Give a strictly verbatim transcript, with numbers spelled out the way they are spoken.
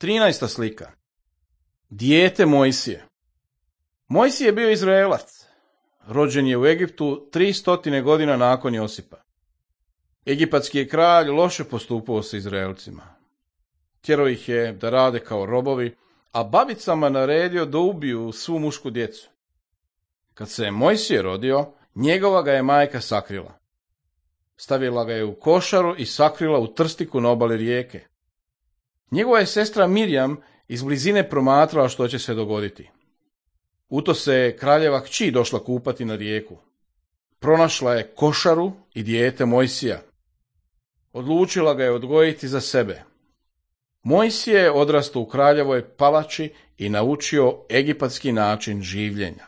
Trinaesta slika. Dijete Mojsije. Mojsije je bio Izraelac. Rođen je u Egiptu tri stotine godina nakon Josipa. Egipatski je kralj loše postupao sa Izraelcima. Tjerao ih je da rade kao robovi, a babicama naredio da ubiju svu mušku djecu. Kad se je Mojsije rodio, njegova ga je majka sakrila. Stavila ga je u košaru i sakrila u trstiku na obali rijeke. Njegova je sestra Mirjam iz blizine promatrala što će se dogoditi. U to se je kraljeva kći došla kupati na rijeku. Pronašla je košaru i dijete Mojsija. Odlučila ga je odgojiti za sebe. Mojsije je odrastao u kraljevoj palači i naučio egipatski način življenja.